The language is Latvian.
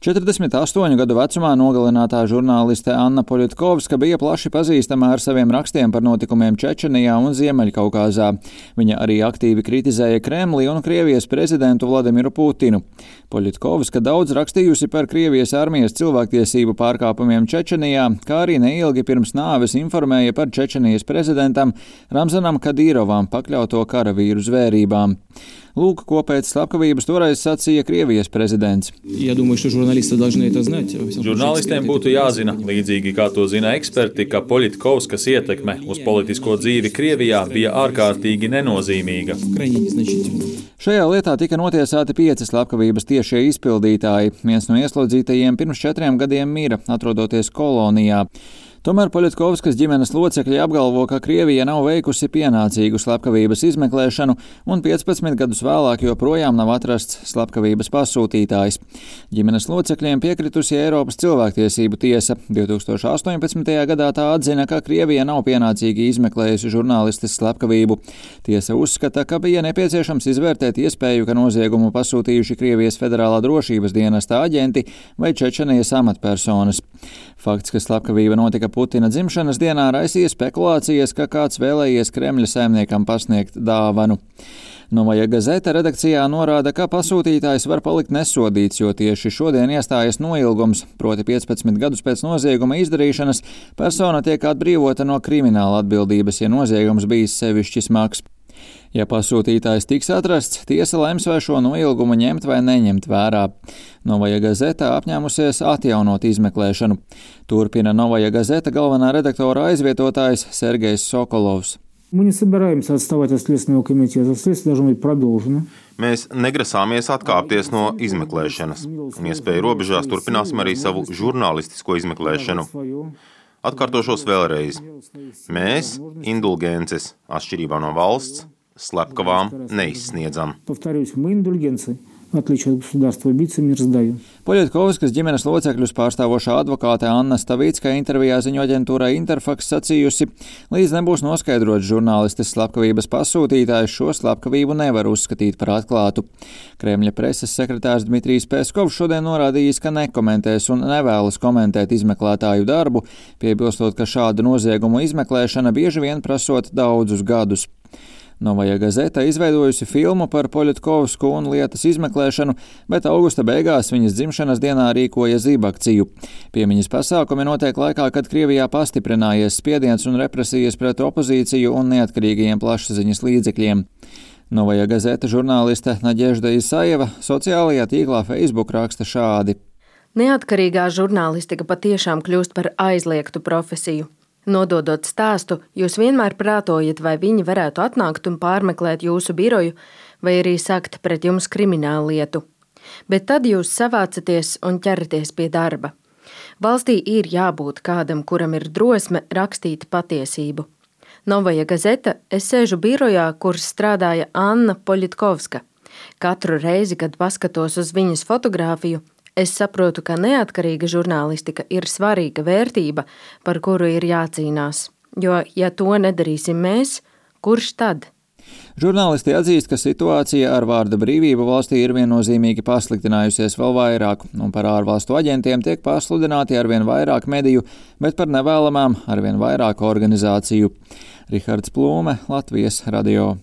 48 gadu vecumā nogalinātā žurnāliste Anna Poļitkovska bija plaši pazīstama ar saviem rakstiem par notikumiem Čečenijā un Ziemeļkaukāzā. Viņa arī aktīvi kritizēja Kremli un Krievijas prezidentu Vladimiru Putinu. Poļitkovska daudz rakstījusi par Krievijas armijas cilvēktiesību pārkāpumiem Čečenijā, kā arī neilgi pirms nāves informēja par Čečenijas prezidentam Ramzanam Kadīrovam pakļauto karavīru zvērībām. Lūk, ko pēc slepkavības toreiz sacīja Krievijas prezidents. Žurnālistiem būtu jāzina, līdzīgi kā to zina eksperti, ka Poļitkovskas ietekme uz politisko dzīvi Krievijā bija ārkārtīgi nenozīmīga. Šajā lietā tika notiesāti 5 slepkavības tiešie izpildītāji. Viens no ieslodzītajiem pirms 4 gadiem mira, atrodoties kolonijā. Tomēr Poļitkovskas ģimenes locekļi apgalvo, ka Krievija nav veikusi pienācīgu slepkavības izmeklēšanu un 15 gadus vēlāk joprojām nav atrasts slepkavības pasūtītājs. Ģimenes locekļiem piekritusi Eiropas cilvēktiesību tiesa. 2018. gadā tā atzina, ka Krievija nav pienācīgi izmeklējusi žurnālistes slepkavību. Tiesa uzskata, ka bija nepieciešams izvērtēt iespēju, ka noziegumu pasūtījuši Krievijas federālā drošības dienesta aģenti vai Čečenijas amatpersonas. Fakts, ka slepkavība notika Putina dzimšanas dienā, raisīja spekulācijas, ka kāds vēlējies Kremļa saimniekam pasniegt dāvanu. Novaja Gazeta redakcijā norāda, ka pasūtītājs var palikt nesodīts, jo tieši šodien iestājas noilgums, proti 15 gadus pēc nozieguma izdarīšanas persona tiek atbrīvota no krimināla atbildības, ja noziegums bijis sevišķi smags. Ja pasūtītājs tiks atrasts, tiesa lems, vai šo noilgumu ņemt vai neņemt vērā. Novaja Gazeta apņēmusies atjaunot izmeklēšanu. Turpina Novaja Gazeta galvenā redaktora aizvietotājs Sergejs Sokolovs. Mēs negrasāmies atkāpties no izmeklēšanas, un iespēju robežās turpināsim arī savu žurnālistisko izmeklēšanu. Atkārtošos vēlreiz. Mēs indulgences, atšķirībā no valsts, slepkavām neizsniedzam. Poļitkovskas ģimenes locekļus pārstāvošā advokāte Anna Stavīcka intervijā ziņu aģentūrai Interfax sacījusi, līdz nebūs noskaidrots žurnālistes slepkavības pasūtītājs, šo slepkavību nevar uzskatīt par atklātu. Kremļa preses sekretārs Dmitrijs Peskovs šodien norādījis, ka nekomentēs un nevēlas komentēt izmeklētāju darbu, piebilstot, ka šāda noziegumu izmeklēšana bieži vien prasot daudzus gadus. Novaja Gazeta izveidojusi filmu par Poļitkovsku un lietas izmeklēšanu, bet augusta beigās viņas dzimšanas dienā rīkoja zibakciju. Piemiņas pasākumi notiek laikā, kad Krievijā pastiprinājies spiediens un represijas pret opozīciju un neatkarīgajiem plašsaziņas līdzekļiem. Novaja Gazeta žurnāliste Nadežda Isajeva sociālajā tīklā Facebook raksta šādi. Neatkarīgā žurnālistika patiešām kļūst par aizliegtu profesiju. Nododot stāstu, jūs vienmēr prātojat, vai viņi varētu atnākt un pārmeklēt jūsu biroju, vai arī sākt pret jums kriminālu lietu. Bet tad jūs savācaties un ķeraties pie darba. Valstī ir jābūt kādam, kuram ir drosme rakstīt patiesību. Novaja Gazeta, es sēžu birojā, kur strādāja Anna Poļitkovska. Katru reizi, kad paskatos uz viņas fotogrāfiju, es saprotu, ka neatkarīga žurnālistika ir svarīga vērtība, par kuru ir jācīnās. Jo, ja to nedarīsim mēs, kurš tad? Žurnālisti atzīst, ka situācija ar vārda brīvību valstī ir viennozīmīgi pasliktinājusies vēl vairāk, un par ārvalstu aģentiem tiek pasludināti arvien vairāk mediju, bet par nevēlamām arvien vairāk organizāciju. Rihards Plūme, Latvijas radio.